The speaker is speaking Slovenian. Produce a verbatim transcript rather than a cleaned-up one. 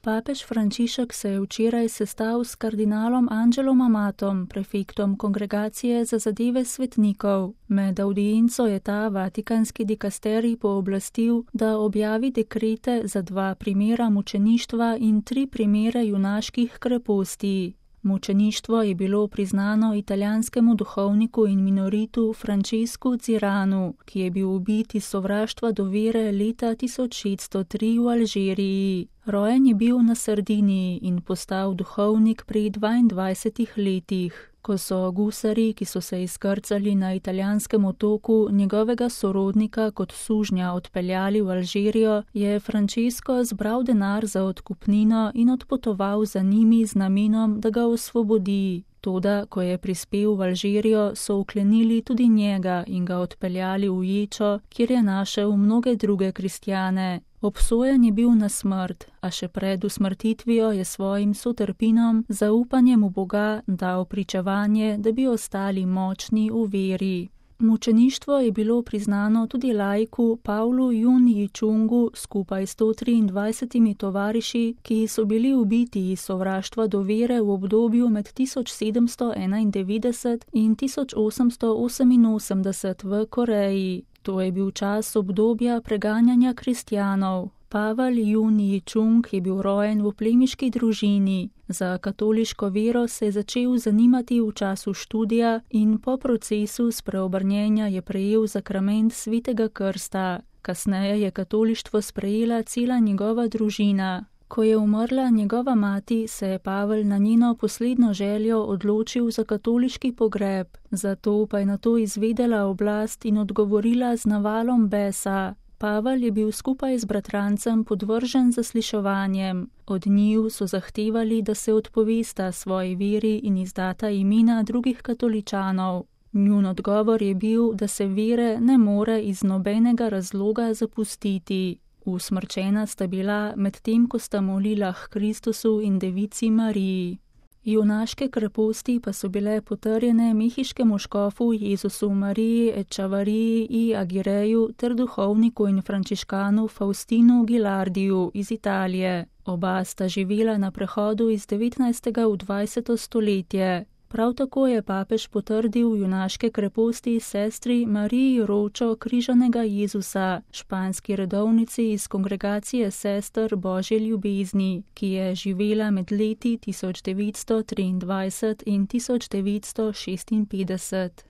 Papež Frančišek se je včeraj sestal s kardinalom Angelom Amatom, prefektom Kongregacije za zadeve svetnikov. Med avdienco je ta vatikanski dikasterij pooblastil, da objavi dekrete za dva primera mučeništva in tri primere junaških kreposti. Mučeništvo je bilo priznano italijanskemu duhovniku in minoritu Francescu Ziranu, ki je bil ubit iz sovraštva do vere leta tisoč šeststo tri v Alžiriji. Rojen je bil na Sardiniji in postal duhovnik pri dvaindvajsetih letih. Ko so gusarji, ki so se izkrcali na italijanskem otoku, njegovega sorodnika kot sužnja odpeljali v Alžirijo, je Francesco zbral denar za odkupnino in odpotoval za njimi z namenom, da ga osvobodi. Toda, ko je prispel v Alžirijo, so uklenili tudi njega in ga odpeljali v ječo, kjer je našel mnoge druge kristjane. Obsojen je bil na smrt, a še pred usmrtitvijo je svojim sotrpinom, zaupanjem v Boga, dal pričevanje, da bi ostali močni v veri. Mučeništvo je bilo priznano tudi laiku Pavlu Jun Yichungu skupaj s sto triindvajsetimi tovariši, ki so bili ubiti iz sovraštva do vere v obdobju med tisoč sedemsto enaindevetdeset in tisoč osemsto oseminosemdeset v Koreji. To je bil čas obdobja preganjanja kristjanov. Pavel Jun Yichung je bil rojen v plemiški družini. Za katoliško vero se je začel zanimati v času študija in po procesu spreobrnjenja je prejel zakrament svetega krsta. Kasneje je katolištvo sprejela cela njegova družina. Ko je umrla njegova mati, se je Pavel na njeno poslednjo željo odločil za katoliški pogreb. Zato pa je nato izvedela oblast in odgovorila z navalom besa. Pavel je bil skupaj z bratrancem podvržen zasliševanjem. Od njiju so zahtevali, da se odpovesta svoji veri in izdata imena drugih katoličanov. Njun odgovor je bil, da se vere ne more iz nobenega razloga zapustiti. Usmrčena sta bila medtem, ko sta molila k Kristusu in devici Mariji. Junaške kreposti pa so bile potrjene mehiškemu škofu Jezusu Mariji Echavariji i Agireju ter duhovniku in frančiškanu Faustinu Gilardiju iz Italije. Oba sta živela na prehodu iz devetnajstega v dvajseto stoletje. Prav tako je papež potrdil junaške kreposti sestri Mariji Ročo Križanega Jezusa, španski redovnici iz Kongregacije sester Božje ljubezni, ki je živela med leti tisoč devetsto triindvajset in tisoč devetsto šestinpetdeset.